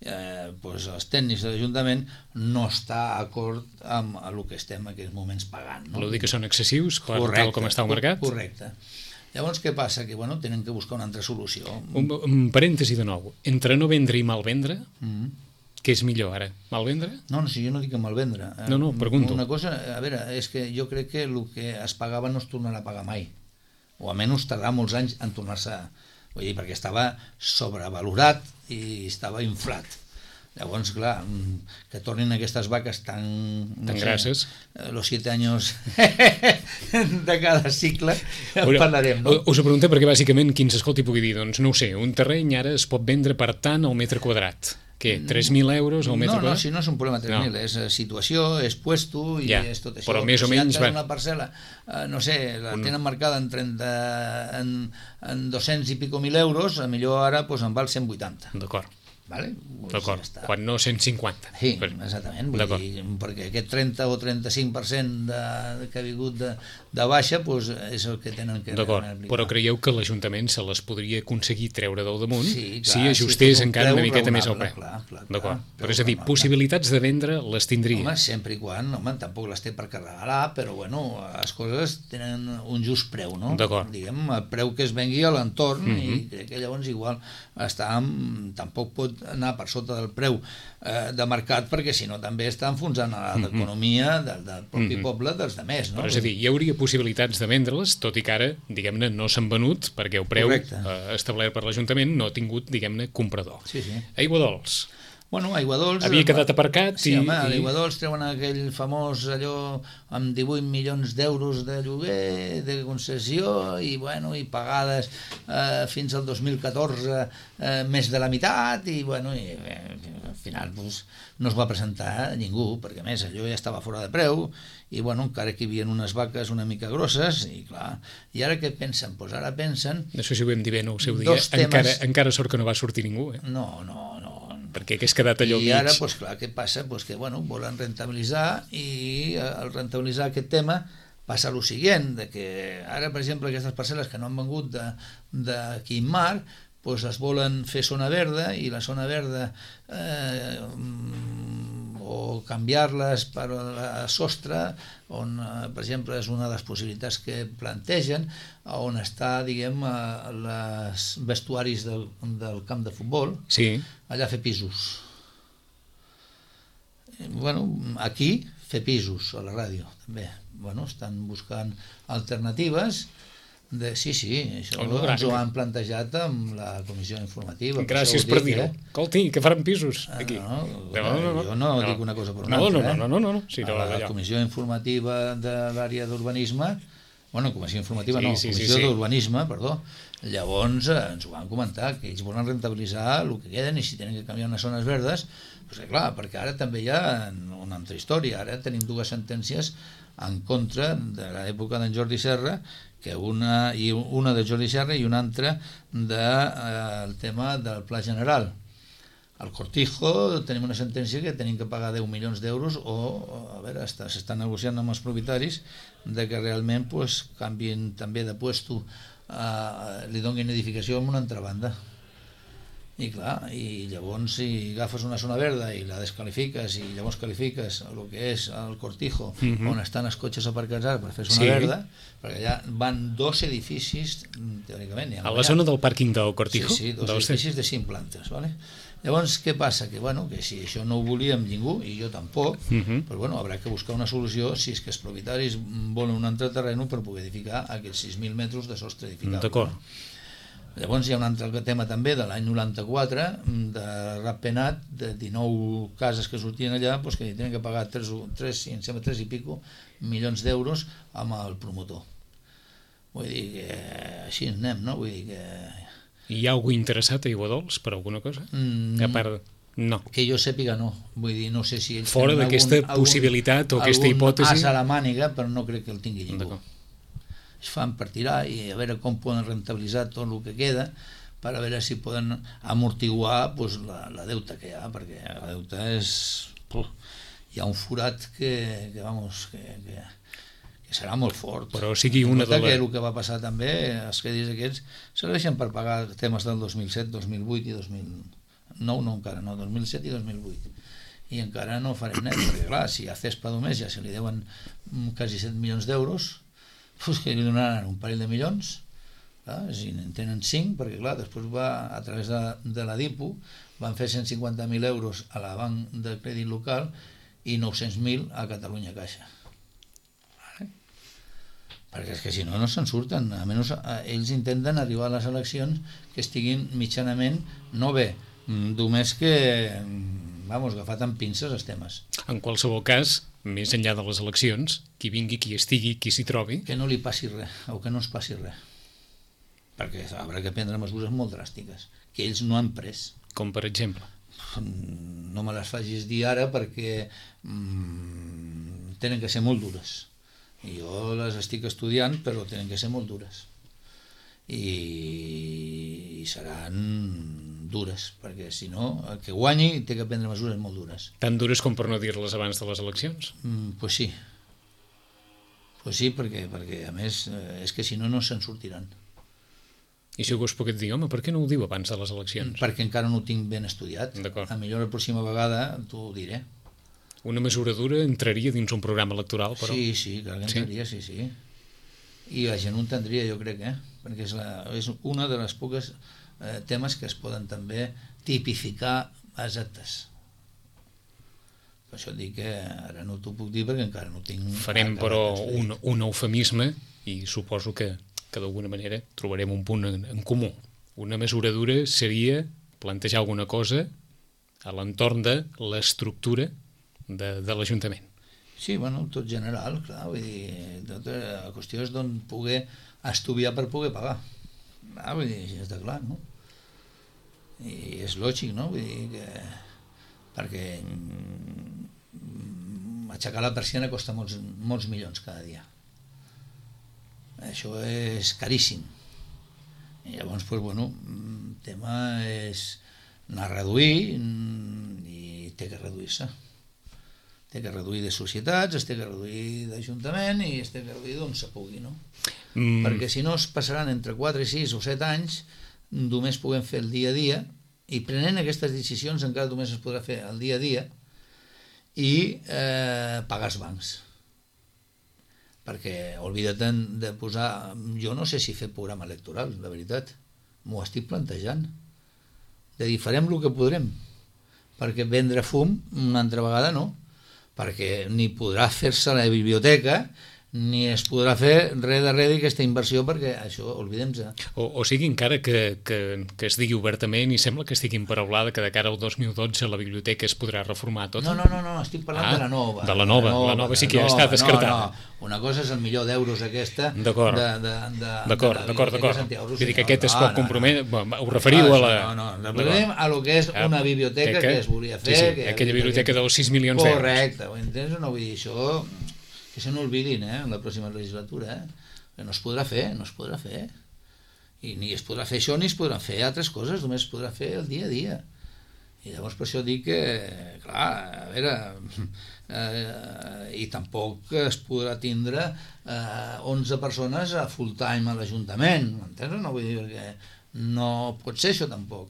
eh, pues, els tècnics de l'Ajuntament no està d'acord amb el que estem en aquests moments pagant. No? Vol dir que són excessius per correcte, tal com està el mercat? Correcte. Llavors, què passa? Que bueno, tenen que buscar una altra solució. Un, un parèntesi de nou. Entre no vendre i mal vendre, mm-hmm. què és millor ara? Mal vendre? No, no, si jo no dic que mal vendre. No, no, pregunto. Una cosa, a veure, és que jo crec que el que es pagava no es tornarà a pagar mai. O almenys tardarà molts anys en tornar-se... Vull dir, perquè estava sobrevalorat i estava inflat. Llavors, clar, que tornin aquestes vaques tan... No tan sé, grasses. Los siete años de cada cicle, en parlarem, no? Us ho preguntem perquè, bàsicament, qui ens escolti pugui dir, doncs, no ho sé, un terreny ara es pot vendre per tant al metre quadrat. Què, tres mil euros al metre no, quadrat? No, si no és un problema tres mil, no. És situació, és puesto i ja, és tot això. Però més o si menys... Si una parcel·la, eh, no sé, la un... tenen marcada en, trenta, en, en dos-cents i pico mil euros, a millor ara pues, en val cent vuitanta. D'acord. Vale? Pues d'acord, ja quan no cent cinquanta. Sí, exactament, vull dir, perquè aquest trenta o trenta-cinc per cent de, que ha vingut de, de baixa pues, és el que tenen que d'acord, però creieu que l'Ajuntament se les podria aconseguir treure del damunt sí, clar, si ajustés si encara una miqueta més al preu? Clar, clar, d'acord, però és a dir, possibilitats de vendre les tindria. Home, sempre i quan, home, tampoc les té per carregar, però bueno, les coses tenen un just preu, no? D'acord. Diguem, el preu que es vengui a l'entorn mm-hmm. i crec que llavors igual està, tampoc pot anar per sota del preu eh, de mercat, perquè si no també està enfonsant l'economia del, del propi mm-hmm. poble dels demés, no? Però és a dir, hi hauria possibilitats de vendre-les, tot i que ara, diguem-ne, no s'han venut perquè el preu eh, establert per l'Ajuntament no ha tingut, diguem-ne, comprador. Sí, sí. Aiguadols. Bueno, Aiguadols... Havia quedat aparcat sí, i... home, a i... Aiguadols treuen aquell famós allò amb divuit milions d'euros de lloguer, de concessió, i bueno, i pagades eh, fins al dos mil catorze eh, més de la meitat, i bueno, i eh, al final pues, no es va presentar ningú, perquè a més allò ja estava fora de preu, i bueno, encara que hi havia unes vaques una mica grosses, i clar, i ara què pensen? Pues ara pensen... Això sí ho vam dir bé, no? El seu dia, encara, temes... encara sort que no va sortir ningú, eh? No, no, no, perquè hagués quedat allò i mig. Ara, pues, clar, què passa? Pues que bueno, volen rentabilitzar i al rentabilitzar aquest tema passa el següent, de que ara, per exemple, aquestes parcel·les que no han vengut de, de Quim Mar, pues, es volen fer zona verda i la zona verda eh, o canviar-les per a sostre, on, per exemple, és una de les possibilitats que plantegen, on està, diguem, els vestuaris del, del camp de futbol, sí. Allà fer pisos. Bueno, aquí fer pisos, a la ràdio, també. Bueno, estan buscant alternatives. De, sí, sí, això oh, no, ens ho han plantejat amb la comissió informativa. Gràcies per, per dir-ho. Eh? Escolti, que faran pisos aquí. No, no, no, no, no, jo no, no dic una cosa per una no, altra. No, no, no, no, no. Sí, no, la comissió informativa de l'àrea d'urbanisme, bueno, comissió informativa sí, no, sí, comissió sí, sí. d'urbanisme, perdó, llavors eh, ens ho van comentar, que ells volen rentabilitzar el que queden i si tenen que canviar unes zones verdes, doncs clar, perquè ara també hi ha una altra història, ara tenim dues sentències en contra de l'època d'en Jordi Serra, que una, i una de Jordi Serra i una altra del de, eh, tema del Pla General. Al Cortijo tenim una sentència que tenim que pagar deu milions d'euros o, a veure, s'està negociant amb els propietaris de que realment pues, canvien també de puesto, eh, li donin edificació en una altra banda. I clar, i llavors si agafes una zona verda i la descalifiques i llavors qualifiques el que és el Cortijo, mm-hmm. on estan els cotxes aparcats ara per fer zona sí. verda, perquè allà van dos edificis, teòricament. A la allà. Zona del pàrquing del Cortijo? Sí, sí, dos del edificis de cinc plantes, ¿vale? Llavors, què passa? Que, bueno, que si això no ho volíem ningú, i jo tampoc, mm-hmm. però bueno, haurà que buscar una solució si és que els propietaris volen un altre terreny per poder edificar aquests sis mil metres de sostre edificable. D'acord. No? Llavors hi ha un altre tema també de l'any noranta-quatre de Ratpenat, de dinou cases que sortien allà, doncs que tenen que pagar tres, tres, em sembla tres i pico milions d'euros amb el promotor. Vull dir que així anem, no? Vull dir que... Hi ha algú interessat a Aiguadols per alguna cosa? Mm, a part de... No. Que jo sàpiga no. Vull dir, no sé si ells fora d'aquesta possibilitat o aquesta hipòtesi... Algun as a la màniga, però no crec que el tingui ningú. Es fan per tirar i a veure com poden rentabilitzar tot el que queda per a veure si poden amortiguar pues, la, la deuta que hi ha, perquè la deuta és... Puf, hi ha un forat que, que vamos, que, que, que serà molt fort. Però sigui una de les... les... El que va passar també, els crèdits aquests serveixen per pagar temes del dos mil set, dos mil vuit i dos mil nou, no encara, no, dos mil set i dos mil vuit. I encara no farem net, perquè clar, si a Cespa només ja se li deuen quasi set milions d'euros, pues que li donaran un parell de milions, clar, si en tenen cinc, perquè clar, després va, a través de, de la DIPU, van fer cent cinquanta mil euros a la banc de crèdit local i nou-cents mil a Catalunya Caixa. Vale? Perquè és que si no, no se'n surten. Almenys ells intenten arribar a les eleccions que estiguin mitjanament, no bé, només que, vamos, agafat amb pinces els temes. En qualsevol cas, més enllà de les eleccions, qui vingui, qui estigui, qui s'hi trobi... Que no li passi res, o que no es passi res. Perquè haurà que prendre mesures molt dràstiques, que ells no han pres. Com per exemple? No me les facis dir ara perquè mmm, tenen que ser molt dures. I jo les estic estudiant, però tenen que ser molt dures. I, i seran dures, perquè si no, el que guanyi té que prendre mesures molt dures. Tan dures com per no dir-les abans de les eleccions? Mm, pues sí. Pues sí, perquè, perquè a més és que si no, no se'n sortiran. I si algú es pogués dir, home, per què no ho diu abans de les eleccions? Perquè encara no ho tinc ben estudiat. A millor la pròxima vegada t'ho diré. Una mesura dura entraria dins un programa electoral, però... Sí, sí, clar que entraria, sí, sí. I la gent ho entendria, jo crec, eh? Perquè és, la, és una de les poques eh, temes que es poden també tipificar als actes. Per això et dic que ara no t'ho puc dir perquè encara no tinc... Farem, però, un, un eufemisme i suposo que, que d'alguna manera trobarem un punt en, en comú. Una mesura dura seria plantejar alguna cosa a l'entorn de l'estructura de, de l'Ajuntament. Sí, bueno, tot general, clar, vull dir, tota la qüestió és d'on poder estudiar per poder pagar. Ah, vull dir, està clar, no? I és lògic, no? Vull dir que... perquè aixecar la persiana costa molts, molts milions cada dia. Això és caríssim. I llavors, doncs, bueno, el tema és anar a reduir i té que reduir-se. Té que reduir de societats, es té que reduir d'Ajuntament i es té que reduir d'on se pugui, no? Mm. Perquè si no es passaran entre quatre, sis o set anys, només puguem fer el dia a dia, i prenent aquestes decisions encara només es podrà fer el dia a dia i eh, pagar els bancs. Perquè oblida't de posar... Jo no sé si fer programa electoral, la veritat. M'ho estic plantejant. De dir, farem el que podrem. Perquè vendre fum una altra vegada no. Perquè ni podrà fer-se la biblioteca ni es podrà fer res de res d'aquesta inversió perquè això, oblidem-se. O, o sigui, encara que, que, que es digui obertament i sembla que estigui emparaulada que de cara al dos mil dotze la biblioteca es podrà reformar tota? No, no, no, no estic parlant ah, de la nova. De la nova, la nova, la nova sí que ja ha estat descartada. No, no. Una cosa és el milió d'euros aquesta d'acord, de, de, de, d'acord, de d'acord, d'acord. Vull dir que aquest no, es pot no, comprometre, no. Ho referiu no, a la... No, no, no, referim a lo que és una biblioteca que, que es volia fer. Sí, sí, que aquella biblioteca dels sis milions d'euros. Correcte, ho entens? No vull dir això... Que se n'olvidin, eh, en la pròxima legislatura, eh? Que no es podrà fer, no es podrà fer. I ni es podrà fer això ni es podran fer altres coses, només es podrà fer el dia a dia. I llavors per això dic que, clar, a veure, eh, i tampoc es podrà tindre eh, onze persones a full time a l'Ajuntament, m'entens? No vull dir que no pot ser això tampoc.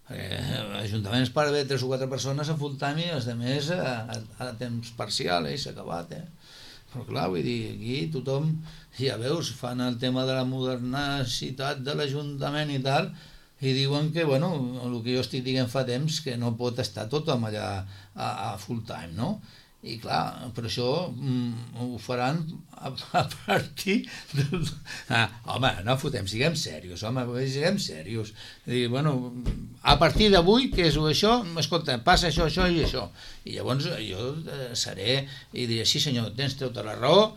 L'Ajuntament es para bé tres o quatre persones a full time i els altres a, a, a temps parcial, eh, s'ha acabat, eh? Però clar, vull dir, aquí tothom, ja veus, fan el tema de la modernicitat de l'Ajuntament i tal, i diuen que, bueno, el que jo estic dient fa temps, que no pot estar tothom allà a, a full time, no? I clar, per això mm, ho faran a, a partir de... Ah, home, no fotem, siguem serios, home, siguem serios. I, bueno, a partir d'avui, què és això? Escolta, passa això, això i això. I llavors jo seré i diré, sí senyor, tens tota la raó,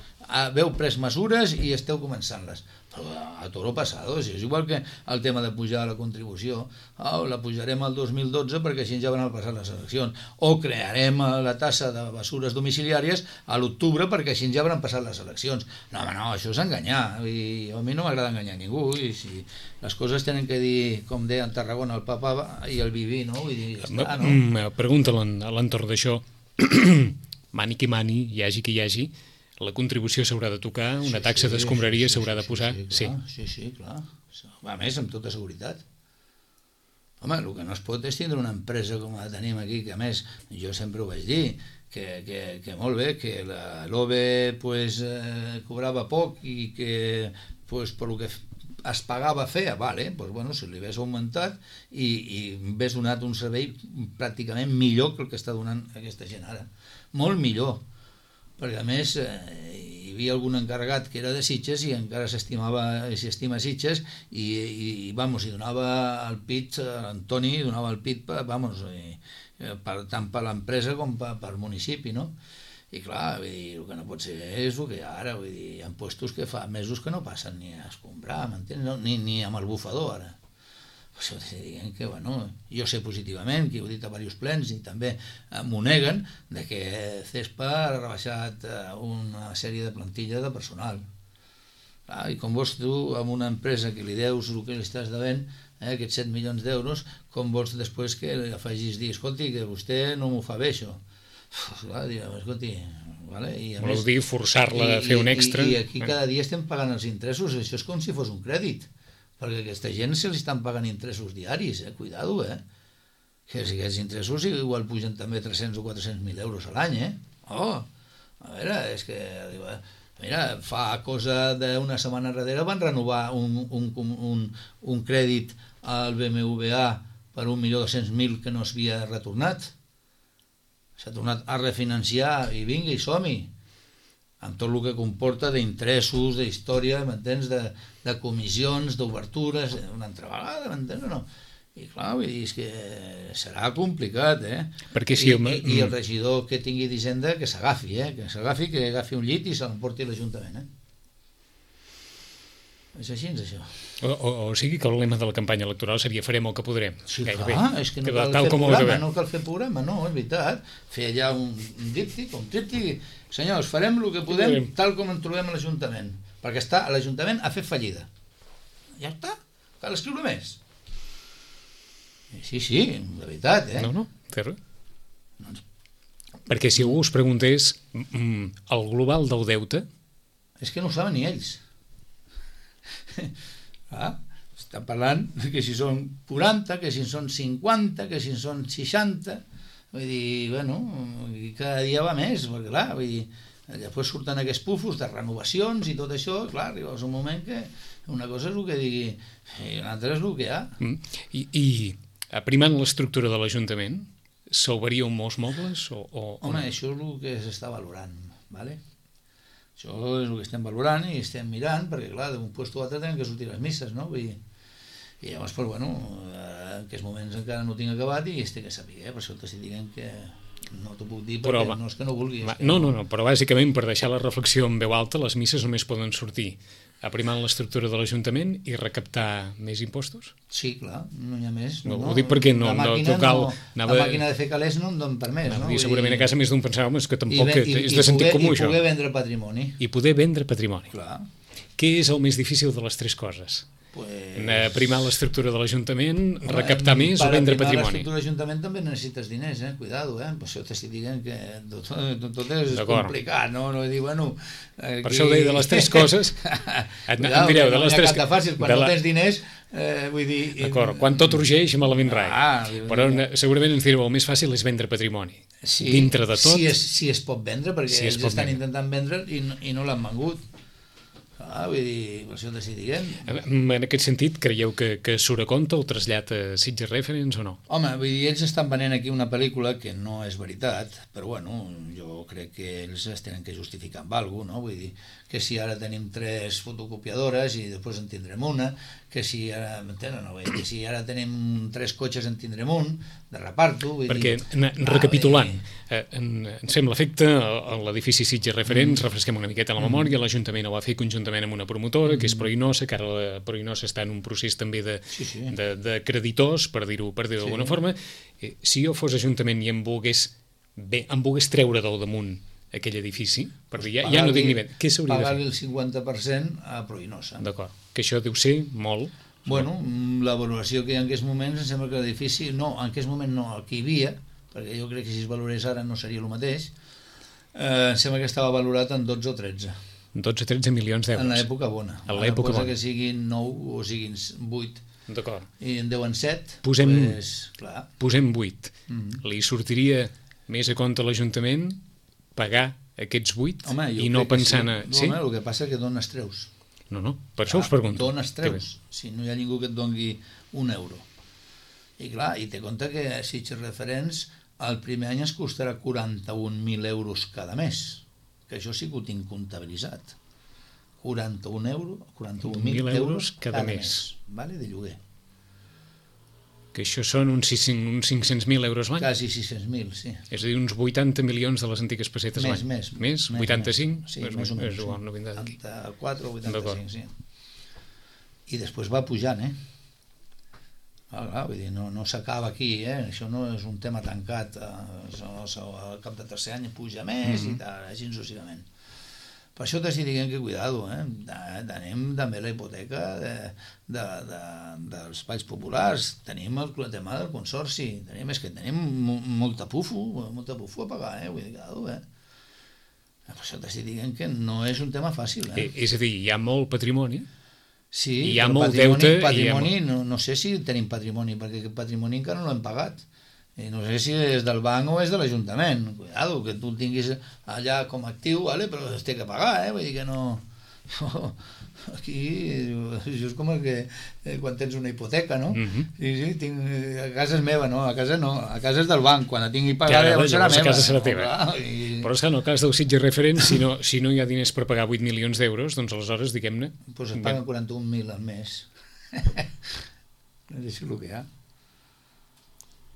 veu pres mesures i esteu començant-les. Però a toro passado, és igual que el tema de pujar la contribució, oh, la pujarem al dos mil dotze perquè així ja van passar les eleccions, o crearem la tassa de mesures domiciliàries a l'octubre perquè així ja van passar les eleccions. No, home, no, això és enganyar, i a mi no m'agrada enganyar ningú, i si les coses tenen que dir, com deia en Tarragona el papa i el Viví, no? Vull dir, ja està, no? Pregunta a l'entorn d'això, mani qui mani, hi hagi qui hi hagi, la contribució s'haurà de tocar, una taxa d'escombraria s'haurà de posar. Sí, sí, sí, clar. A més, amb tota seguretat. Home, el que no es pot és tindre una empresa com la tenim aquí, que a més, jo sempre ho vaig dir, que, que, que molt bé, que l'O B E pues, eh, cobrava poc i que pues, per lo que es pagava feia, vale, pues, bueno, si li hagués augmentat i, i hagués donat un servei pràcticament millor que el que està donant aquesta gent ara. Molt millor. Perquè a més eh, hi havia algun encarregat que era de Sitges i encara s'estimava i s'estima Sitges i, i, i vamos, i donava el pit, l'Antoni donava el pit per, vamos, i, per, tant per l'empresa com per, per municipi, no? I clar, vull dir, el que no pot ser és el que hi ha ara, vull dir, hi ha puestos que fa mesos que no passen ni a escombrar, m'entens? No? Ni, ni amb el bufador ara. Això diguem que, bueno, jo sé positivament, que ho he dit a diversos plens i també m'ho neguen, de que CESPA ha rebaixat una sèrie de plantilla de personal. Clar, i com vols tu, amb una empresa que li deus el que li estàs devent, eh, aquests set milions d'euros, com vols després que li afegis dir, escolti, que vostè no m'ho fa bé, això. Uf, clar, direm, escolti... Vale? I a Voleu més, dir forçar-la a fer un extra? I, i aquí cada dia estem pagant els interessos, això és com si fos un crèdit. Perquè a aquesta gent se li estan pagant interessos diaris, eh? Cuidado, eh? Que si aquests interessos igual pugen també tres-cents o quatre-cents mil euros a l'any, eh? Oh, a veure, és que... Mira, fa cosa d'una setmana darrere van renovar un, un, un, un crèdit al B M W A per un milió dos-cents mil que no s'havia retornat. S'ha tornat a refinanciar i vinga, i som-hi. Amb tot el que comporta d'interessos, d'història, m'entens, de, de comissions, d'obertures, una altra vegada, m'entens o no? I clar, vull dir, és que serà complicat, eh? Perquè si I, i, I el regidor que tingui d'Hisenda que s'agafi, eh? Que s'agafi, que agafi un llit i se l'emporti a l'Ajuntament, eh? És així, és això. O, o, o sigui que el lema de la campanya electoral seria farem el que podrem. Sí, gairebé. clar, és que no cal, fer programa, no cal fer programa, no, és veritat. Fer allà un, un díptic, un tríptic, senyors, farem el que podem tal com ens trobem a l'Ajuntament, perquè està a l'Ajuntament a fer fallida. Ja està, cal escriure més. Sí, sí, de veritat, eh? No, no, té res. Doncs... Perquè si algú us preguntés mm, el global del deute... És que no ho saben ni ells. Ah, està parlant que si són quaranta, que si són cinquanta, que si són seixanta, vull dir, bueno, cada dia va més, perquè clar, vull dir, després surten aquests pufos de renovacions i tot això, clar, arribes un moment que una cosa és el que digui i l'altra és el que hi ha. Mm. I, i aprimant l'estructura de l'Ajuntament, salvaríeu molts mobles? O, o, Home, o... això és el que s'està valorant, ¿vale? Això és el que estem valorant i estem mirant, perquè clar, d'un lloc a l'altre tenen que sortir les misses, no? Vull dir, i llavors, però, bueno, en aquests moments encara no tinc acabat i este que sàpiga, per això t'estic dient que no t'ho puc dir perquè però, no és que no vulgui. Va, que no, no, no, però bàsicament per deixar la reflexió en veu alta, les misses només poden sortir aprimant l'estructura de l'Ajuntament i recaptar més impostos? Sí, clar, no hi ha més. No, no, ho dic perquè no, la màquina, no cal... No, anava... La màquina de fer calés no en don per més, no? I segurament a casa més d'un pensava, home, és que tampoc I, i, és de sentit poder, comú, i això. I poder vendre patrimoni. I poder vendre patrimoni. Clar. Què és el més difícil de les tres coses? Pues... Aprimar l'estructura de l'Ajuntament, recaptar més o vendre patrimoni? Per aprimar l'estructura de l'Ajuntament també necessites diners, eh? Cuidado, eh? Per això t'estic dient que tot, tot, tot és complicat, no? No dir, bueno... Aquí... Per això ho deia de les tres coses... Et, Cuidado, em direu, de no les hi ha tres... cap de fàcil, quan la... no tens diners, eh, vull dir... D'acord, quan tot urgeix, malament rai. Ah, però segurament ens direu, el més fàcil és vendre patrimoni. Sí, dintre de tot... Si es, si es pot vendre, perquè si ells estan vendre. intentant vendre i no, i no l'han vengut. Ah, vull dir, per això t'estic dient. En aquest sentit, creieu que, que surt a compte el trasllat a Sitges Reference o no? Home, vull dir, ells estan venent aquí una pel·lícula que no és veritat, però bueno, jo crec que ells es tenen que justificar amb alguna cosa, no? Vull dir, que si ara tenim tres fotocopiadores i després en tindrem una, que si ara, m'entenen, no? Vull dir, que si ara tenim tres cotxes en tindrem un, de reparto, vull perquè, dir... Perquè, recapitulant, eh, en, en sembla efecte, l'edifici Sitges Referents, mm. refresquem una miqueta la memòria, mm. l'Ajuntament ho va fer conjuntament amb una promotora, mm. que és Proinosa, que ara la Proinosa està en un procés també de, sí, sí. de, de creditors, per dir-ho per dir d'alguna sí. forma. Eh, si jo fos Ajuntament i em volgués, bé, em volgués treure del damunt aquell edifici, per dir, ja, ja no dic ni bé, què s'hauria de fer? Pagar-li el cinquanta per cent a Proinosa. D'acord, que això deu ser molt... Bueno, la valoració que hi ha en aquests moments, em sembla que l'edifici, no, en aquest moment no, el que hi havia, perquè jo crec que si es valorés ara no seria el mateix, eh, em sembla que estava valorat en dotze o tretze. dotze o tretze milions d'euros. En l'època bona. En l'època bona. Que siguin nou o siguin vuit. D'acord. I en deuen set, posem, pues, clar. Posem vuit. Mm-hmm. Li sortiria més a compte a l'Ajuntament pagar aquests vuit home, i no pensant... Sí. A... No, sí? home, el que passa és que dones treus. No, no, per això ah, us pregunto. Dones treus, si no hi ha ningú que et doni un euro. I clar, i té compte que Sitges Referents el primer any es costarà quaranta-un mil euros cada mes, que això sí que ho tinc comptabilitzat. quaranta-un euros, quaranta-un mil euros cada, cada mes, mes vale, de lloguer. Que això són uns, uns cinc-cents mil euros l'any? Quasi sis-cents mil, sí. És a dir, uns vuitanta milions de les antigues pessetes l'any. Més, més. Més? vuitanta-cinc? Més. Sí, més o menys. És igual, no vindrà d'aquí. vuitanta-quatre o vuitanta-cinc, sí. I després va pujant, eh? Ah, clar, vull dir, no, no s'acaba aquí, eh? Això no és un tema tancat. Al cap de tercer any puja més mm-hmm. i tal, així successivament. Per això t'estic dient que cuidado, eh? Tenim també la hipoteca de, de, de, dels espais populars, tenim el tema del consorci, tenim, és que tenim molta pufo, molta pufo a pagar, eh? Vull dir, cuidado, eh? Per això t'estic dient que no és un tema fàcil, eh? És a dir, hi ha molt patrimoni, sí, hi ha molt patrimoni, deute... Patrimoni, ha... no, no sé si tenim patrimoni, perquè aquest patrimoni encara no l'hem pagat. I no sé si és del banc o és de l'Ajuntament. Cuidado, que tu el tinguis allà com a actiu, vale? Però es té que pagar, eh? Vull dir que no... Aquí, això és com el que eh, quan tens una hipoteca, no? Mm-hmm. Sí, sí, tinc, a casa és meva, no? A casa no, a casa és del banc. Quan la tingui pagada, ja, llavors serà meva. A casa serà teva. No, clar, i... Però és que en el cas del Sitges Referents, si no, si no hi ha diners per pagar vuit milions d'euros, doncs aleshores, diguem-ne... Doncs pues es paguen quaranta-un mil al mes. És el que hi ha.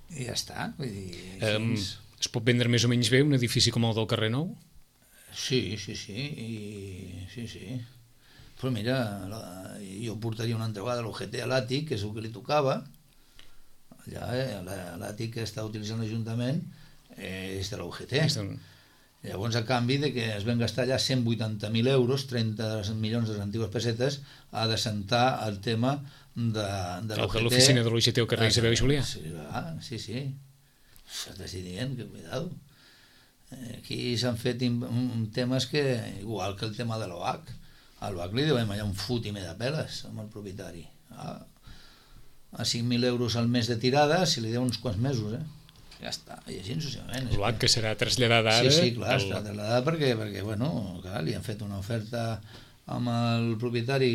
I ja està, vull dir... Um, es pot vendre més o menys bé un edifici com el del carrer Nou? Sí, sí, sí, i, sí, sí. Però mira, la, jo portaria una altra vegada l'O G T a l'àtic, que és el que li tocava, allà, eh, l'àtic que està utilitzant l'Ajuntament eh, és de l'O G T. Llavors, a canvi de que es van gastar allà cent vuitanta mil euros, trenta milions de les antigues pessetes, a desentar el tema de, de l'O G T. De l'oficina de l'O G T al carrer Isabel i Julià. Sí, ah, sí, sí. T'estic dient que cuidado. Aquí s'han fet temes que, igual que el tema de l'O H, a l'O H li devem allà un fotimer de peles amb el propietari. Ah, a cinc mil euros al mes de tirada, si li deu uns quants mesos, eh? Ja està, i així successivament. L'O H que serà traslladada ara... Sí, sí, clar, el... està traslladada perquè, perquè bueno, clar, li han fet una oferta amb el propietari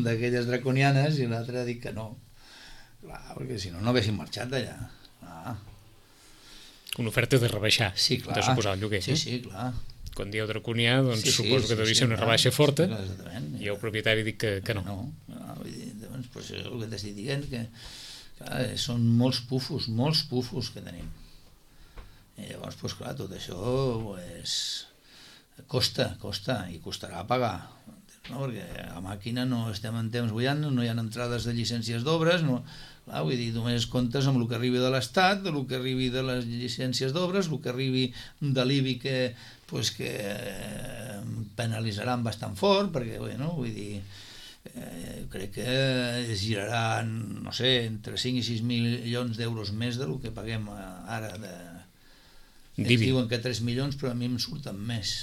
d'aquelles draconianes i l'altre ha dit que no. Clar, perquè si no, no haguessin marxat d'allà. Ah. Una oferta de rebaixar, sí, clar. De suposar el lloguer. Sí, sí, clar. Quan dieu draconià, doncs sí, sí, suposo que sí, devia sí, ser una clar, rebaixa forta, sí, i el propietari dic que, que no. No, no vull dir, doncs, pues, és el que t'estic dient, que clar, són molts pufos, molts pufos que tenim. I llavors, pues, clar, tot això pues, costa, costa, i costarà pagar, no? Perquè a màquina no estem en temps bullant, no hi ha entrades de llicències d'obres, no, clar, vull dir, només comptes amb el que arribi de l'Estat, el que arribi de les llicències d'obres, el que arribi de l'I B I que, pues, que penalitzaran bastant fort, perquè, bueno, vull dir, eh, crec que es giraran, no sé, entre cinc i sis milions d'euros més del que paguem ara de... Ells diuen que tres milions, però a mi em surten més.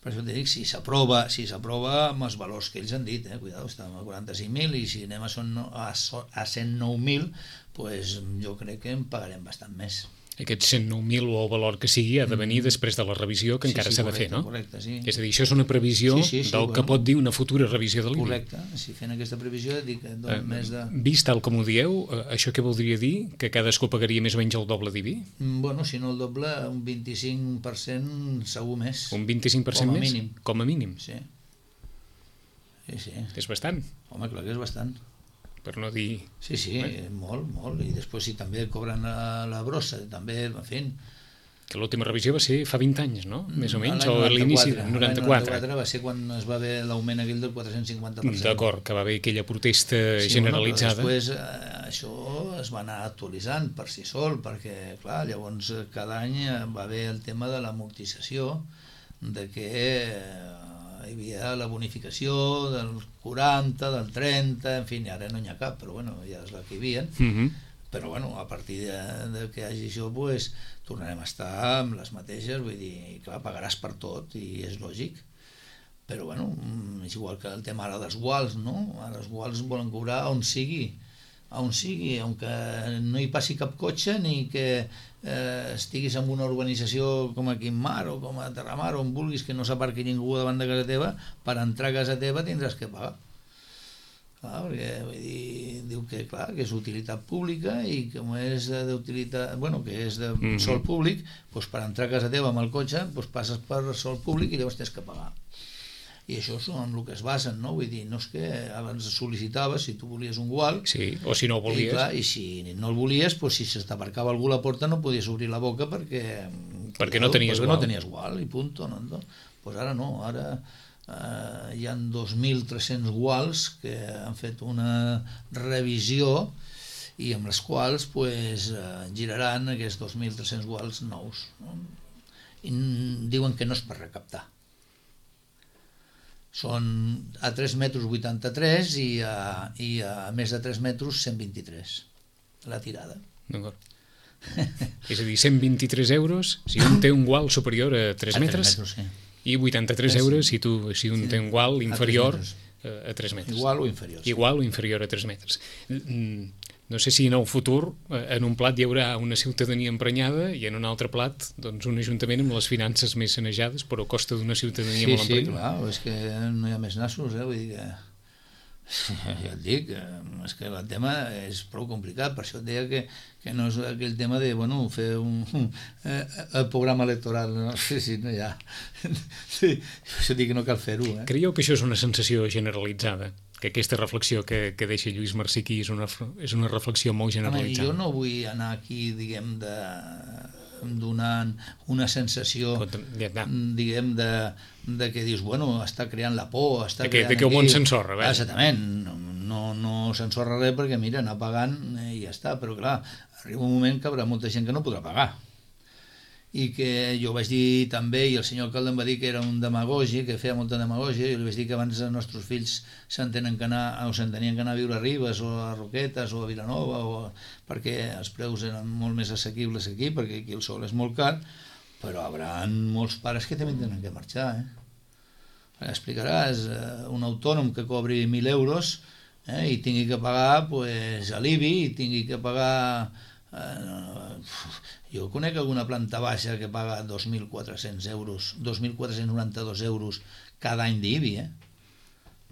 Per això t'he dit, si s'aprova, si s'aprova amb els valors que ells han dit, eh, cuidado, estàvem a quaranta-cinc mil i si anem a, son, a, a cent nou mil, pues, jo crec que en pagarem bastant més. Aquests cent nou mil o el valor que sigui ha de venir després de la revisió que Sí, encara sí, s'ha de correcte, fer, no? correcte, sí. És a dir, això és una previsió Sí, sí, sí, del que bueno. pot dir una futura revisió de l'I B I. Correcte, si fent aquesta previsió dic que Eh, donen més de... Vist tal com ho dieu, eh, això què voldria dir? Que cadascú pagaria més o menys el doble d'I B I? Mm, Bueno, si no el doble, un vint-i-cinc per cent segur més. Un vint-i-cinc per cent Com a més? mínim. Com a mínim. Sí. Sí, sí. És bastant, Home, clar que és bastant. per no dir... Sí, sí, Bé. molt, molt. I després si també cobren la, la brossa, també, en fi... Que l'última revisió va ser fa vint anys, no? Més o menys, L'any o a l'inici del noranta-quatre. noranta-quatre. L'any noranta-quatre va ser quan es va haver l'augment aquell del quatre-cents cinquanta per cent. D'acord, que va haver aquella protesta Sí, generalitzada. Bueno, però després eh, això es va anar actualitzant per si sol, perquè, clar, llavors eh, cada any eh, va haver el tema de l'amortització, de que eh, hi havia la bonificació del quaranta, del trenta, en fi, ara no n'hi ha cap, però bueno, ja és la que hi havia. Mhm. Però bueno, a partir de, de que hi hagi això, pues, tornarem a estar amb les mateixes, vull dir, clar, pagaràs per tot i és lògic. Però bueno, mm, és igual que el tema ara dels guals, no? Ara els guals volen cobrar on sigui, on sigui, on que no hi passi cap cotxe ni que eh, estiguis en una urbanització com a Quimar o com a Terramar, on vulguis que no s'aparqui ningú davant de casa teva, per entrar a casa teva tindràs que pagar. Clar, perquè vull dir, diu que, clar, que és utilitat pública i com és d'utilitat, bueno, que és de Mhm. sol públic, doncs per entrar a casa teva amb el cotxe doncs passes per sol públic i llavors tens que pagar. I això és en el que es basen, no? Vull dir, no és que abans sol·licitaves si tu volies un gual, Sí, o si no ho i, volies. clar, i si no el volies, doncs si se t'aparcava algú a la porta no podies obrir la boca perquè... Perquè no tenies perquè gual. no tenies gual, i punto. No? Doncs ara no, ara eh, hi ha dos mil tres-cents guals que han fet una revisió i amb les quals pues, eh, giraran aquests dos mil tres-cents guals nous. No? I diuen que no és per recaptar. Són a tres metres vuitanta-tres i a, i a més de tres metres cent vint-i-tres la tirada. D'acord. És a dir, cent vint-i-tres euros si un té un gual superior a tres A metres, metres, sí. i vuitanta-tres Sí. euros si, tu, si un Sí. té un gual A inferior tres a, a tres metres. Igual o inferior. Sí. Igual o inferior a tres metres. Mm, No sé si en el futur eh, en un plat hi haurà una ciutadania emprenyada i en un altre plat doncs, un ajuntament amb les finances més sanejades però a costa d'una ciutadania Sí, molt sí, emprenyada. clar, és que no hi ha més nassos, eh? Vull dir que... Ja et dic, eh, és que el tema és prou complicat, per això et deia que, que no és aquell tema de, bueno, fer un, eh, el programa electoral, no? Sí, sí, no hi ha. Sí, per això dic que no cal fer-ho, eh? Creieu que això és una sensació generalitzada? Que aquesta reflexió que, que deixa Lluís Marsiquí és una, és una reflexió molt Home, generalitzada? jo no vull anar aquí, diguem, de donant una sensació, Ja, ja. diguem, de, de que dius, bueno, està creant la por, està De que- creant de que el aquí... món s'ensorra, bé. Exactament, no, no, no s'ensorra res perquè, mira, anar pagant eh, i ja està, però clar, arriba un moment que hi haurà molta gent que no podrà pagar. I que jo vaig dir també, i el senyor alcalde em va dir que era un demagogi, que feia molta demagògia, i jo li vaig dir que abans els nostres fills s'entenen que anar, o s'entenien que anar a viure a Ribes o a Roquetes o a Vilanova, o, perquè els preus eren molt més assequibles aquí, perquè aquí el sol és molt car, però hi haurà molts pares que també tenen que marxar, eh? Explicaràs eh, un autònom que cobri mil euros eh, i tingui que pagar pues, a l'I B I, i tingui que pagar... Eh, jo conec alguna planta baixa que paga dos mil quatre-cents euros, dos mil quatre-cents noranta-dos euros cada any d'I B I, eh?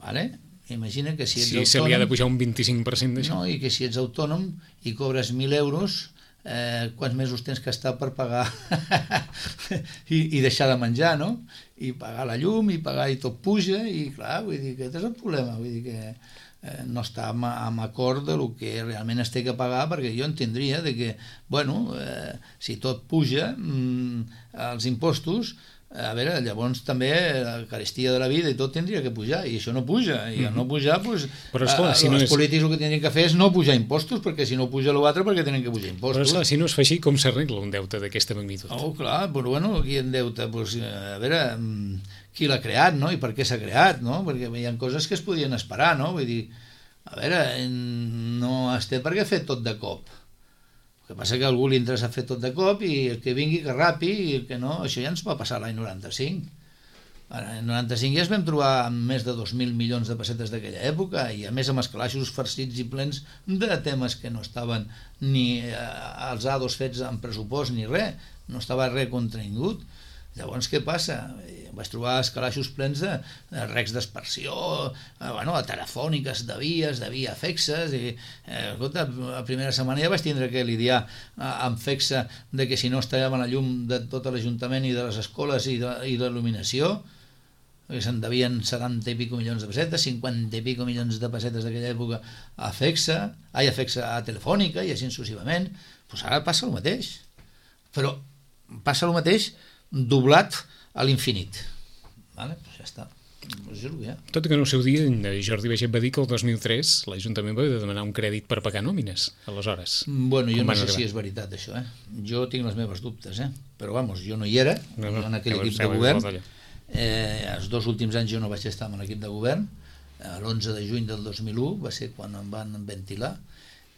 Vale? Imagina que si ets Si autònom... se li ha de pujar un vint-i-cinc per cent d'això. No, i que si ets autònom i cobres mil euros, eh, quants mesos tens que estar per pagar I, i deixar de menjar, no? I pagar la llum, i pagar, i tot puja, i clar, vull dir que aquest és el problema, vull dir que eh, no està amb, amb acord de lo que realment es té que pagar, perquè jo entendria de que, bueno, eh, si tot puja, mm, els impostos, a veure, llavors també la carestia de la vida i tot tindria que pujar, i això no puja, i al no pujar, doncs, Però, esclar, si no els és- polítics el que tindrien que fer és no pujar impostos, perquè si no puja l'altre, perquè tenen que pujar Però impostos. esclar, si no es fa així, com s'arregla un deute d'aquesta magnitud? Oh, clar, però bueno, aquí en deute, doncs, a veure, mm, qui l'ha creat, no? I per què s'ha creat, no? Perquè hi ha coses que es podien esperar, no? Vull dir, a veure, no es té per què fer tot de cop. El que passa que a algú li interessa fer tot de cop i el que vingui que rapi i el que no, això ja ens va passar l'any noranta-cinc. En noranta-cinc ja es vam trobar amb més de dos mil milions de pessetes d'aquella època i a més amb els calaixos farcits i plens de temes que no estaven ni eh, els A dos fets en pressupost ni res, no estava res contingut. Llavors què passa? Vaig trobar els calaixos plens de, de recs d'aspersió, eh, bueno, de telefòniques, de vies, de via fexes i, eh, escolta, la primera setmana ja vaig tindre que lidiar eh, amb fexa de que si no estallava la llum de tot l'Ajuntament i de les escoles i de, i de l'il·luminació, que se'n devien setanta i pico milions de pessetes, cinquanta i pico milions de pessetes d'aquella època a fexa, ai, a fexa a telefònica i així successivament. Doncs ara passa el mateix, però passa el mateix doblat a l'infinit. Vale? Pues ja està. Pues és el que hi ha. Tot i que en el seu dia Jordi Baiget va dir que el dos mil tres l'Ajuntament va haver de demanar un crèdit per pagar nòmines, aleshores. Bueno, jo Com no van sé arribar? si és veritat això, eh? Jo tinc les meves dubtes, eh? Però vamos, jo no hi era, No, no, jo en aquell ja ho equip sabeu, de govern. igual d'allò. Eh, els dos últims anys jo no vaig estar en l'equip de govern, l'onze de juny del dos mil u va ser quan em van ventilar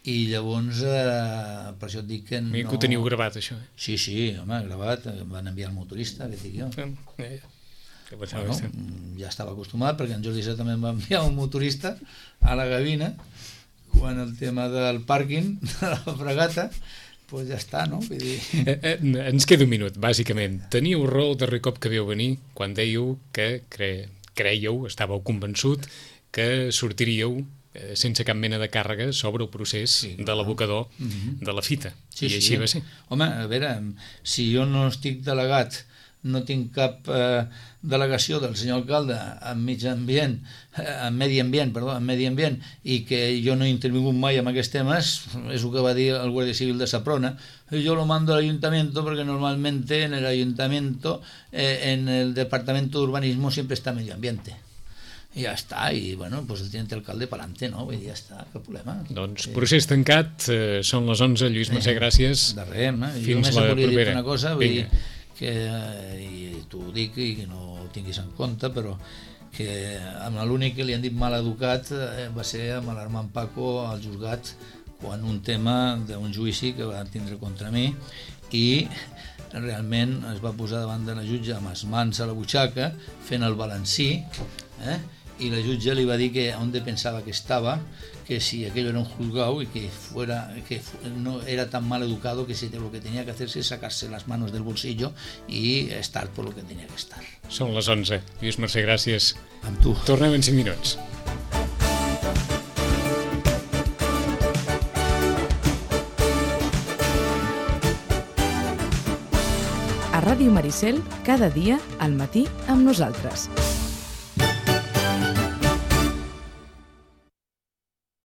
i llavors eh, per això et dic que no... Mira que ho teniu gravat, això. Eh? Sí, sí, home, gravat, em van enviar el motorista, que dic jo. Eh, que pensava Bueno, que ja estava acostumat perquè en Jordi Sá també em va enviar un motorista a la gavina quan el tema del pàrquing de la fregata, doncs ja està, no? Vull dir... Eh, eh, ens queda un minut, bàsicament. Teníeu raó el darrer cop que veu venir quan dèieu que cre... creieu, estàveu convençut que sortiríeu eh, sense cap mena de càrrega sobre el procés Sí, de l'abocador Mhm. de la fita. Sí, I sí. així va ser. Home, a veure, si jo no estic delegat, no tinc cap eh, delegació del senyor alcalde en mig ambient, eh, en medi ambient, perdó, en medi ambient, i que jo no he intervingut mai en aquests temes, és el que va dir el Guàrdia Civil de Saprona, yo lo mando al ayuntamiento porque normalmente en el ayuntamiento, eh, en el departamento de urbanismo siempre está medio ambiente. I ja està, i bueno, pues el teniente alcalde pa'lante, no? Vull dir, ja està, cap problema. Doncs Eh, procés tancat, eh, són les onze, Lluís Mercè, gràcies. De res, eh? Jo Fins només la et volia dir propera. una cosa, vull dir Vinga. que, eh, i t'ho dic i que no ho tinguis en compte, però que amb l'únic que li han dit mal educat eh, va ser amb l'Armand Paco al juzgat quan un tema d'un judici que va tindre contra mi i realment es va posar davant de la jutge amb les mans a la butxaca fent el balancí, eh? I la jutge li va dir que on pensava que estava, que si aquello era un juzgado y que fuera que fu- no era tan mal educado, que si lo que tenía que hacerse es sacarse las manos del bolsillo y estar por lo que tenía que estar. Són les onze. Lluís Mercè, gràcies. Amb tu. Tornem en cinc minuts. A Ràdio Maricel, cada dia al matí amb nosaltres.